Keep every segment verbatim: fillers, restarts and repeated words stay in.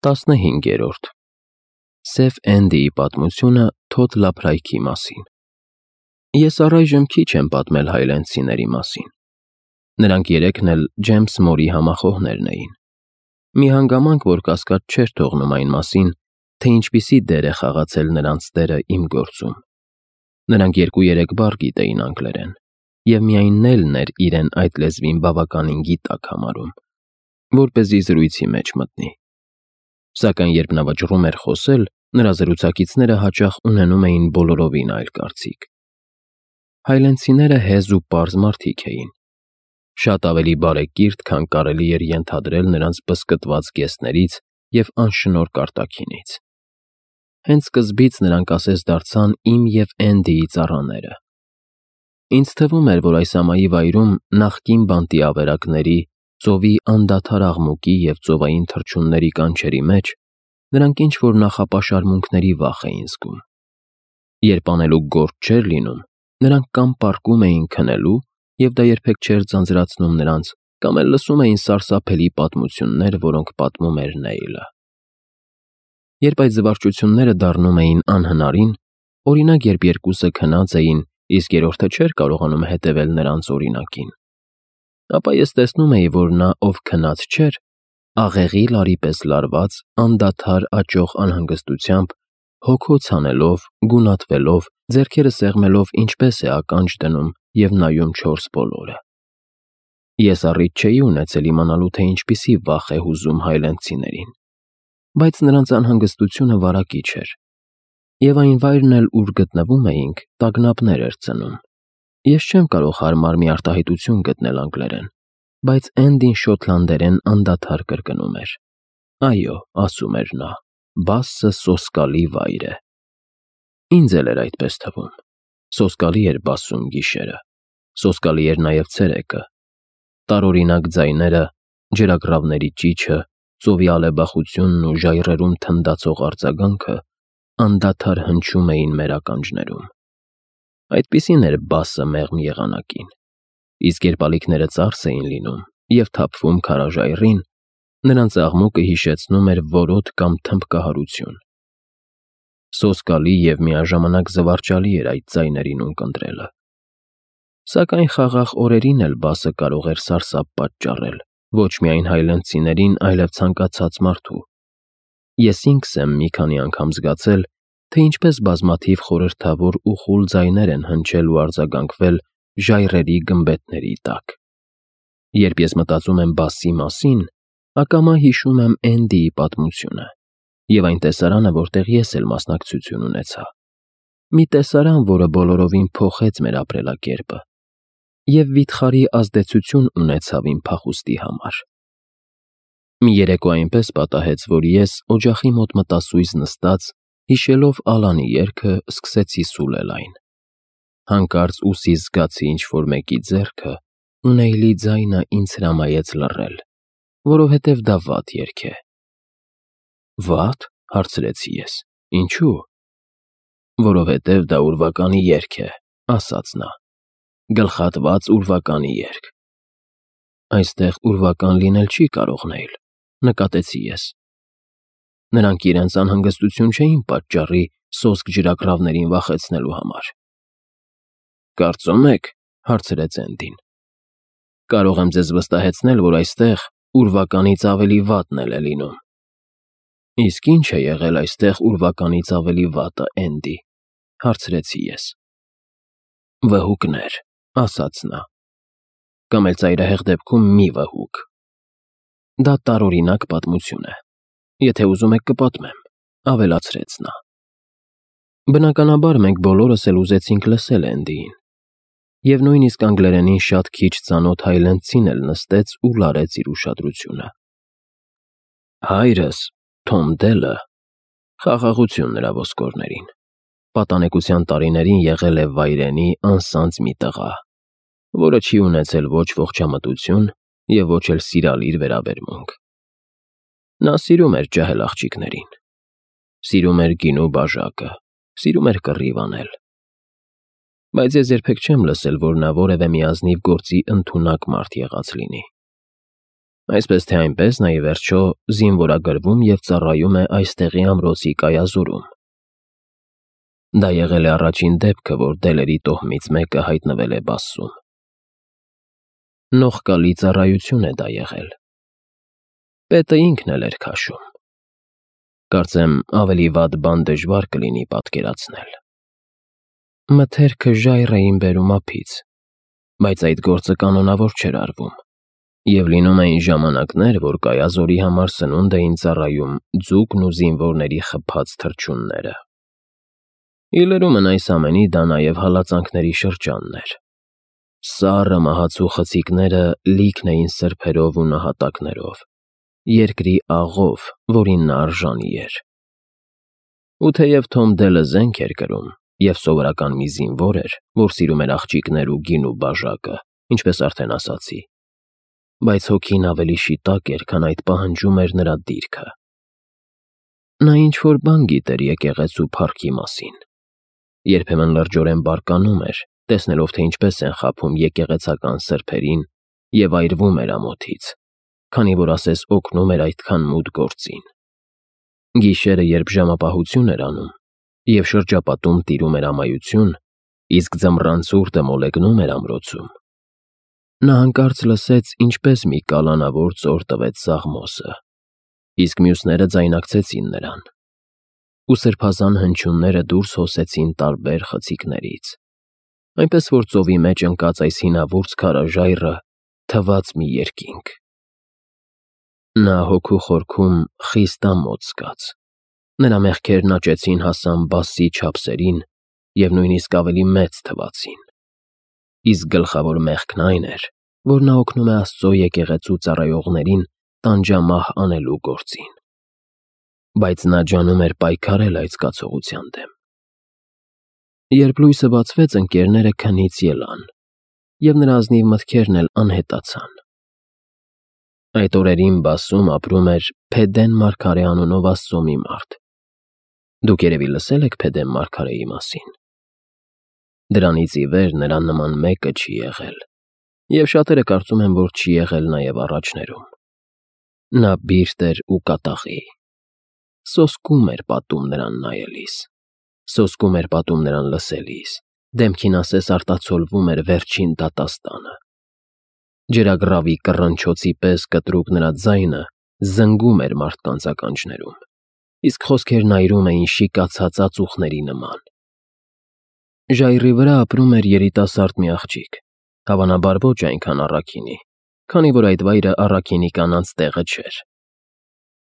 Տասնհինգերորդ Սև Էնդիի պատմությունը Թոդ Լափրայքի մասին։ Ես առայժմ քիչ եմ պատմել հայլենցիների մասին։ Նրանք երեքն էլ Ջեյմս Մորի համախոհներն էին։ Մի հանգամանք, որ կասկած չէր թողնում այն մասին, թե ինչպիսի դեր է խաղացել նրանց տերը իմ գործում։ Նրանք երկու-երեք բառ գիտեին անգլերեն, և միայն Նելն էր իրեն այդ լեզվին բավականին գիտակ համարում, որպեսզի զրույցի մեջ մտնի։ Սակայն երբ նա վճռում էր խոսել, նրա զրուցակիցները հաճախ ունենում էին բոլորովին այլ կարծիք։ Հայլենցիները հեզ ու պարզ մարդիկ էին, շատ ավելի բարեկիրթ, քան կարելի էր ենթադրել նրանց բզկտված գեստներից և անշնորհ կարտաքինից։ Հենց սկզբից նրանք ասես դարձան իմ և Էնդիի ծառաները։ Ինձ թվում էր, որ այս ամայի վայրում նախկին բանտի ավերակների, ծովի անդադար աղմուկի և ծովային թռչունների կանչերի մեջ նրանք ինչ-որ նախապաշարմունքների վախ էին զգում։ Երբ անելուկ գործ չէր լինում, նրանք կամ պառկում էին քնելու, և դա երբեք չէր ձանձրացնում նրանց, կամ էլ լսում էին սարսափելի պատմություններ, որոնք պատմում էր Նեյլը։ Երբ այդ զվարճությունները դառնում էին անհնարին, օրինակ, երբ երկուսը քնած էին, իսկ երրորդը չէր կարողանում հետևել նրանց օրինակին, ապա ես տեսնում էի, որ նա, ով քնած չէր, աղեղի լարի պես լարված, անդադար աճող անհանգստությամբ, հոգոց հանելով, գունատվելով, ձեռքերը սեղմելով ինչպես է ականջ դնում և նայում չորս բոլորը։ Ես առիթ չէի ունեցել իմանալու, թե ինչպիսի վախ է հուզում հայլենցիներին, բայց նրանց անհանգստությունը վարակիչ էր, և այն վայրն էլ, ուր գտնվում էինք, տագնապներ էր ծնում։ Ես չեմ կարող հարմար մի արտահայտություն գտնել անգլերեն, բայց Էնդին շոտլանդերեն անդադար կրկնում էր. «Այո», ասում էր նա, «Բասսը սոսկալի վայր է»։ Ինձ էլ էր այդպես թվում։ Սոսկալի էր Բասսում գիշերը, սոսկալի էր նաև ցերեկը։ Տարօրինակ ձայները, ջրագռավների ճիչը, ծովի ալեբախությունն ու ժայռերում թնդացող արձագանքը անդադար հնչում էին մեր ականջներում։ Այդպիսին էր Բասսը մեղմ եղանակին, իսկ երբ ալիքները ծարս էին լինում և թափվում քարաժայռին, նրանց աղմուկը հիշեցնում էր որոտ կամ թմբկահարություն։ Սոսկալի և միաժամանակ զվարճալի էր այդ ձայներին ունկնդրելը։ Սակայն խաղաղ օրերին էլ Բասսը կարող էր սարսափ պատճառել ոչ միայն հայլենցիներին, այլև ցանկացած մարդու։ Ես ինքս եմ մի քանի անգամ զգացել, թե ինչպես բազմաթիվ խորհրդավոր ու խուլ ձայներ են հնչել ու արձագանքվել ժայռերի գմբեթների տակ։ Երբ ես մտածում եմ Բասսի մասին, ակամա հիշում եմ Էնդիի պատմությունը և այն տեսարանը, որտեղ ես էլ մասնակցություն ունեցա։ Մի տեսարան, որը բոլորովին փոխեց մեր ապրելակերպը և վիթխարի ազդեցություն ունեցավ իմ փախուստի համար։ Մի երեկո այնպես պատահեց, որ ես, օջախի մոտ մտասույզ նստած, հիշելով Ալանի երգը, սկսեցի սուլել այն։ Հանկարծ ուսիս զգացի ինչ֊որ մեկի ձեռքը, ու Նեյլի ձայնը ինձ հրամայեց լռել, որովհետև դա վատ երգ է։ «Վա՞տ», հարցրեցի ես։ «Ինչու»։ «Որովհետև դա ուրվականի երգ է», ասաց նա։ «Գլխատված ուրվականի երգ»։ «Այստեղ ուրվական լինել չի կարող, Նեյլ», նկատեցի ես։ Նրանք իրենց անհանգստություն չէին պատճառի սոսկ ջրագռավներին վախեցնելու համար։ «Կարծո՞ւմ եք», հարցրեց Էնդին։ «Կարող եմ ձեզ վստահեցնել, որ այստեղ ուրվականից ավելի վատն էլ է լինում»։ «Իսկ ի՞նչ է եղել այստեղ ուրվականից ավելի վատը, Էնդի», հարցրեցի ես։ «Վհուկներ», ասաց նա։ «Կամ էլ ծայրահեղ դեպքում մի վհուկ։ Դա տարօրինակ պատմություն է։ Եթե ուզում եք կպատմեմ», ավելացրեց նա։ Բնականաբար մենք բոլորս էլ ուզեցինք լսել Էնդիին, և նույնիսկ անգլերենին շատ քիչ ծանոթ հայլենցին էլ նստեց ու լարեց իր ուշադրությունը։ «Հայրս՝ Թոմ Դելը, խաղաղություն նրա ոսկորներին, պատանեկության տարիներին եղել է վայրենի անսանձ մի տղա, որը չի ունեցել ոչ ողջամտություն և ոչ էլ սիրալիր վերաբերմունք։ Նա սիրում էր ջահել աղջիկներին, սիրում էր գինու բաժակը, սիրում էր կռիվ անել։ Բայց ես երբեք չեմ լսել, որ նա որևէ մի ազնիվ գործի ընդունակ մարդ եղած լինի։ Այսպես թե այնպես նա ի վերջո զինվորագրվում և ծառայում է այստեղի ամրոցի կայազորում։ Դա եղել է առաջին դեպքը, որ դելերի տոհմից մեկը հայտնվել է Բասսում։ Նողկալի ծառայություն է դա եղել։ Պետը ինքն էլ էր քաշում։ Կարծեմ ավելի վատ բան դժվար կլինի պատկերացնել։ Մթերքը ժայռ էին բերում ափից, բայց այդ գործը կանոնավոր չէր արվում, և լինում էին ժամանակներ, որ կայազորի համար սնունդ էին ծառայում ձուկն ու զինվորների խփած թռչունները։ Ի լրումն այս ամենի դա նաև հալածանքների շրջանն էր։ Սառը մահացու խցիկները լիքն էին սրբերով ու նահատակներով, երկրի աղով, որին նա արժանի էր։ Ու թեև Թոմ Դելը զենք էր կրում և սովորական մի զինվոր էր, որ սիրում էր աղջիկներ ու գին ու բաժակը, ինչպես արդեն ասացի, բայց հոգին ավելի շիտակ էր, քան այդ պահանջում էր նրա դիրքը։ Նա ինչ-որ բան գիտեր եկեղեցու փառքի մասին։ Երբեմն լրջորեն բարկանում էր, տեսնելով, թե ինչպես են խաբում եկեղեցական սրբերին և այրվում էր ամոթից, քանի որ ասես օգնում էր այդքան մութ գործին։ Գիշերը, երբ ժամապահություն էր անում, և շրջապատում տիրում էր ամայություն, իսկ ձմռան ցուրտը մոլեգնում էր ամրոցում, նա հանկարծ լսեց, ինչպես մի կալանավոր ծոր տվեց Սաղմոսը, իսկ մյուսները ձայնակցեցին նրան, ու սրբազան հնչյունները դուրս հոսեցին տարբեր խցիկներից, այնպես որ ծովի մեջ ընկած այս հինավուրց քարաժայռը թվաց մի երկինք։ Նա հոգու խորքում խիստ ամոթ զգաց։ Նրա մեղքերն աճեցին հասան Բասսի չափսերին և նույնիսկ ավելի մեծ թվացին։ Իսկ գլխավոր մեղքն այն էր, որ նա օգնում է Աստծո եկեղեցու ծառայողներին տանջամահ անելու գործին։ Բայց նա ջանում էր պայքարել այդ զգացողության դեմ։ Երբ լույսը բացվեց, ընկերները քնից ելան, և նրա ազնիվ մտքերն էլ անհետացան։ Այդ օրերին Բասսում ապրում էր Փեդեն մարգարե անունով Աստծո մի մարդ։ Դուք երևի լսել եք Փեդեն մարգարեի մասին։ Դրանից ի վեր նրան նման մեկը չի եղել, և շատերը կարծում են, որ չի եղել նաև առաջներում։ Նա բիրտ էր ու կատաղի։ Սոսկում էր պատում նրան նայելիս, սոսկում էր պատում նրան լսելիս, դեմքին ասես արտացոլվում էր վերջին դատաստանը։ Ջրագռավի կռնչոցի պես կտրուկ նրա ձայնը զնգում էր մարդկանց ականջներում, իսկ խոսքերն այրում էին շիկացած ածուխների նման։ Ժայռի վրա ապրում էր երիտասարդ մի աղջիկ, հավանաբար ոչ այնքան առաքինի, քանի որ այդ վայրը առաքինի կանանց տեղը չէր։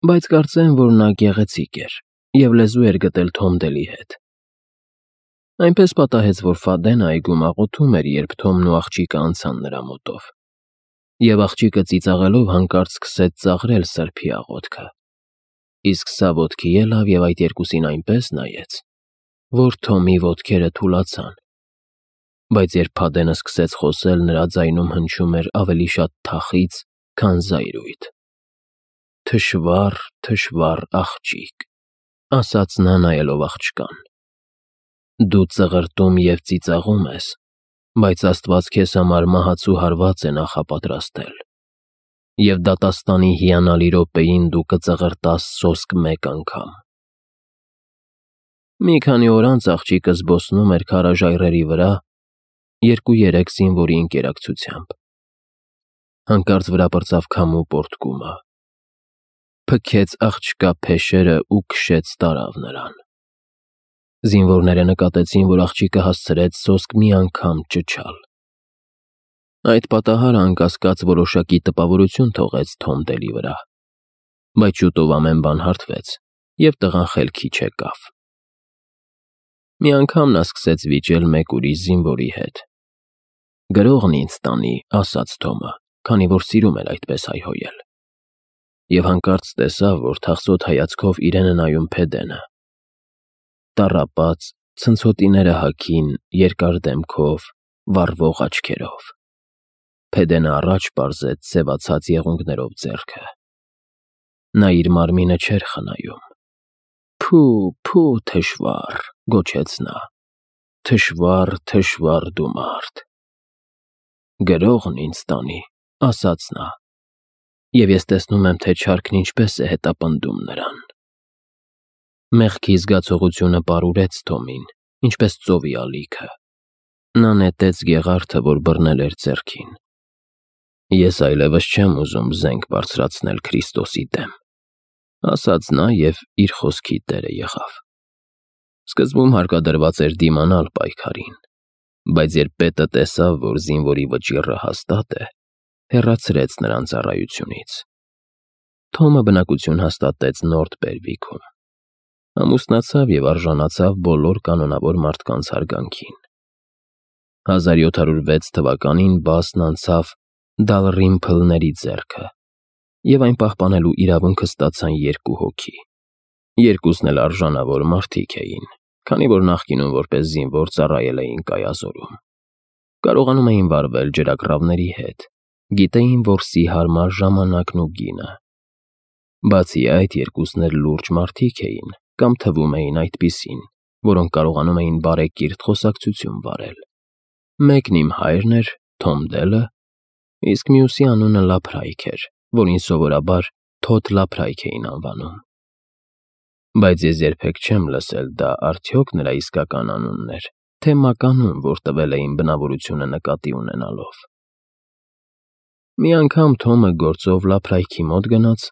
Բայց կարծեմ, որ նա գեղեցիկ էր և լեզու էր գտել Թոմ Դելի հետ։ Այնպես պատահեց, որ Ֆադեն այգում աղոթում էր, երբ Թոմն ու աղջիկը անցան նրա մոտով, և աղջիկը ծիծաղելով հանկարծ սկսեց ծաղրել սրբի աղոթքը, իսկ սա ոտքի ելավ և այդ երկուսին այնպես նայեց, որ Թոմի ոտքերը թուլացան, բայց երբ Փադենը սկսեց խոսել, նրա ձայնում հնչում էր ավելի շատ թախիծ, քան զայրույթ։ «Թշվառ, թշվառ աղջիկ», ասաց նա նայելով աղջկան։ «Դու ծղրտում և ծիծաղում ես, բայց Աստված քեզ համար մահացու հարված է նախապատրաստել, և դատաստանի հիանալի րոպեին դու կծղրտաս սոսկ մեկ անգամ»։ Մի քանի օր անց աղջիկը զբոսնում էր քարաժայռերի վրա երկու֊երեք զինվորի ընկերակցությամբ։ Հանկարծ վրա պրծավ քամու պոռթկումը, փքեց աղջկա փեշերն ու քշեց տարավ նրան։ Զինվորները նկատեցին, որ աղջիկը հասցրեց սոսկ մի անգամ ճչալ։ Այդ պատահարը անկասկած որոշակի տպավորություն թողեց Թոմ Դելի վրա, բայց շուտով ամեն բան հարթվեց, և տղան խելքի չեկավ։ Մի անգամ նա սկսեց վիճել մեկ ուրիշ զինվորի հետ։ «Գրողն ինձ տանի», ասաց Թոմը, քանի որ սիրում էր այդպես հայհոյել, և հանկարծ տեսավ, որ թախծոտ հայացքով իրեն է նայում Փեդենը։ Տառապած, ցնցոտիները հագին, երկար դեմքով, վառվող աչքերով։ Փեդենը առաջ պարզեց սևացած եղունգներով ձեռքը։ Նա իր մարմինը չէր խնայում։ «Փո՜ւ, փո՜ւ, թշվառ», գոչեց նա, «թշվառ, թշվառ դու մարդ»։ «Գրողն ինձ տանի», ասաց նա, և ես տեսնում եմ, թե չարքն ինչպես է հետապնդում նրան։ Մեղքի զգացողությունը պարուրեց Թոմին, ինչպես ծովի ալիքը։ Նա նետեց գեղարդը, որ բռնել էր ձեռքին։ Ես այլևս չեմ ուզում զենք բարձրացնել Քրիստոսի դեմ, ասաց նա և իր խոսքի տերը եղավ։ Սկզբում հարկադրված էր դիմանալ պայքարին, բայց երբ պետը տեսավ, որ զինվորի վճիռը հաստատ է, հեռացրեց նրան ծառայությունից։ Թոմը բնակություն հաստատեց Նորթ Բերվիքում։ Ամուսնացավ և արժանացավ բոլոր կանոնավոր մարդկանց հարգանքին։ հազար յոթ հարյուր վեց թվականին Բասն անցավ Դալռիմփլների ձեռքը, և այն պահպանելու իրավունքը ստացան երկու հոգի։ Երկուսն էլ արժանավոր մարդիկ էին, քանի որ նախկինում որպես զինվոր ծառայել էին Կայազորում։ Կարողանում էին վարվել ջրակռավների հետ, գիտեին որսի հարմար ժամանակն ու գինը։ Բացի այդ, երկուսն էլ լուրջ մարդիկ էին, կամ թվում էին այդպիսին, որոնք կարողանում էին բարեկիրթ խոսակցություն վարել։ Մեկն իմ հայրն էր, Թոմ Դելը, իսկ մյուսի անունը Լափրայք էր, որին սովորաբար Թոդ Լափրայք էին անվանում։ Բայց ես երբեք չեմ լսել դա արդյոք նրա իսկական անունն էր, թե մականուն, որ տվել էին բնավորությունը նկատի ունենալով։ Մի անգամ Թոմը գործով Լափրայքի մոտ գնաց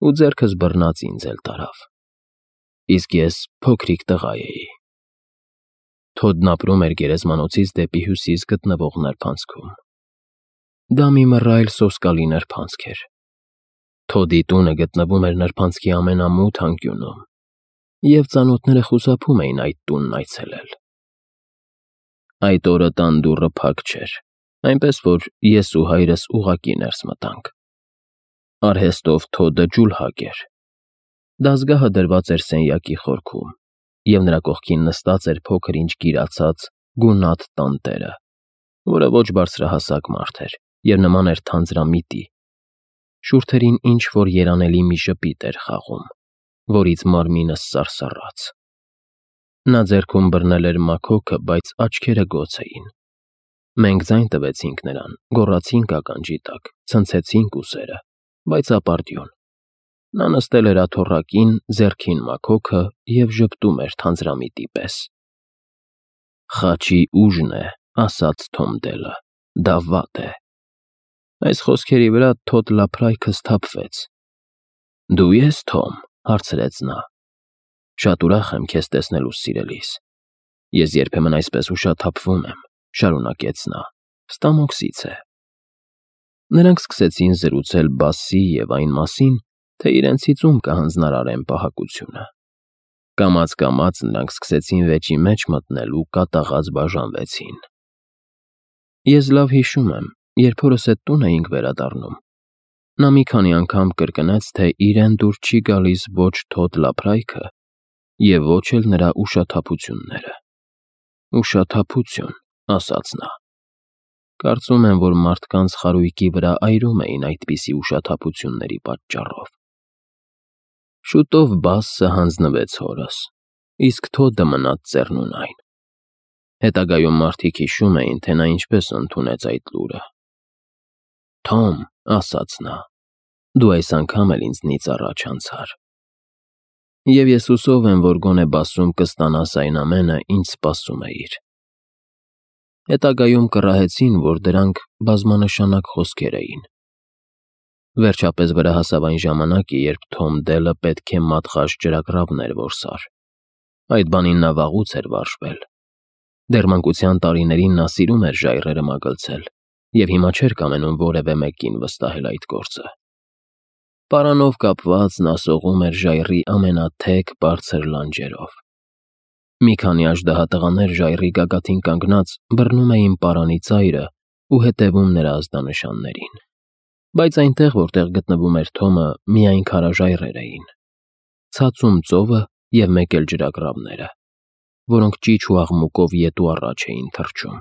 ու ձեռքս բռնած ինձ էլ տարավ։ Իսկ ես փոքրիկ տղա էի։ Թոդն ապրում էր գերեզմանոցից դեպի հյուսիս գտնվող նրբանցքում։ Դա մի մռայլ սոսկալի նրբանցք էր։ Թոդի տունը գտնվում էր նրբանցքի ամենամութ անկյունում, և ծանոթները խուսափում էին այդ տունն այցելել։ Այդ օրը տան դուռը փակ չէր, այնպես որ ես ու հայրս ուղղակի ներս մտանք։ Արհեստով Թոդը ջուլհակ էր։ Դազգահը դրված էր սենյակի խորքում, և նրա կողքին նստած էր փոքր-ինչ գիրացած գունատ տանտերը, որը ոչ բարձրահասակ մարդ էր և նման էր թանձրամիտի։ Շուրթերին ինչ-որ երանելի մի ժպիտ էր խաղում, որից մարմինս սարսռաց։ Նա ձեռքում բռնել էր մաքոքը, բայց աչքերը գոց էին։ Մենք ձայն տվեցինք նրան, գոռացինք ականջի տակ, ցնցեցինք ուսերը, բայց ապարդյուն։ Նա նստել էր աթոռակին, ձեռքին մաքոքը և ժպտում էր թանձրամիտի պես։ «Խաչի ուժն է», ասաց Թոմ Դելը, «դա վատ է»։ Այս խոսքերի վրա Թոդ Լափրայքը սթափվեց։ «Դու ե՞ս Թոմ», հարցրեց նա։ «Շատ ուրախ եմ քեզ տեսնելուս, սիրելիս։ Ես երբեմն այսպես ուշաթափվում եմ», շարունակեց նա, «ստամոքսից է»։ Նրանք սկսեցին զրուցել Բասսի և այն մասին, թե իրենցից ում կհանձնարարեն պահակությունը։ Կամաց-կամաց նրանք սկսեցին վեճի մեջ մտնել ու կատաղած բաժանվեցին։ Ես լավ հիշում եմ, երբ հորս հետ տուն էինք վերադառնում, նա մի քանի անգամ կրկնեց, թե իրեն դուր չի գալիս ոչ Թոդ Լափրայքը և ոչ էլ նրա ուշաթափությունները։ «Ուշաթափություն», ասաց նա։ Կարծում եմ, որ մարդկանց խարույկի վրա այրում էին այդպիսի ուշաթափությունների պատճառով։ Շուտով Բասսը հանձնվեց հորս, իսկ Թոդը մնաց ծեռնունայն։ Հետագայում մարդիկ հիշում էին, թե նա ինչպես ընդունեց այդ լուրը։ «Թոմ», ասաց նա, «դու այս անգամ էլ ինձնից առաջ անցար։ Եվ ես հուսով եմ, որ գոնե Բասսում կստանաս այն ամենը, ինչ սպասում էիր»։ Հետագայում կռահեցին, որ դրանք բազմանշանակ խոսքեր էին։ Վերջապես վրա հասավ այն ժամանակը, երբ Թոմ Դելը պետք է մատղաշ ջրակռավներ որսար։ Այդ բանին նա վաղուց էր վարժվել։ Դեռ մանկության տարիներին նա սիրում էր ժայռերը մագլցել և հիմա չէր կամենում որևէ մեկին վստահել այդ գործը։ Պարանով կապված նա սողում էր ժայռի ամենաթեք, բարձր լանջերով։ Մի քանի աժդահատղաներ ժայռի գագաթին կանգնած բռնում էին պարանի ծայրը ու հետևում նրա ազդանշաններին։ Բայց այնտեղ, որտեղ գտնվում էր Թոմը, միայն քարաժայռեր էին, ցածում ծովը և մեկ էլ ջրակռավները, որոնք ճիչ ու աղմուկով ետ ու առաջ էին թռչում։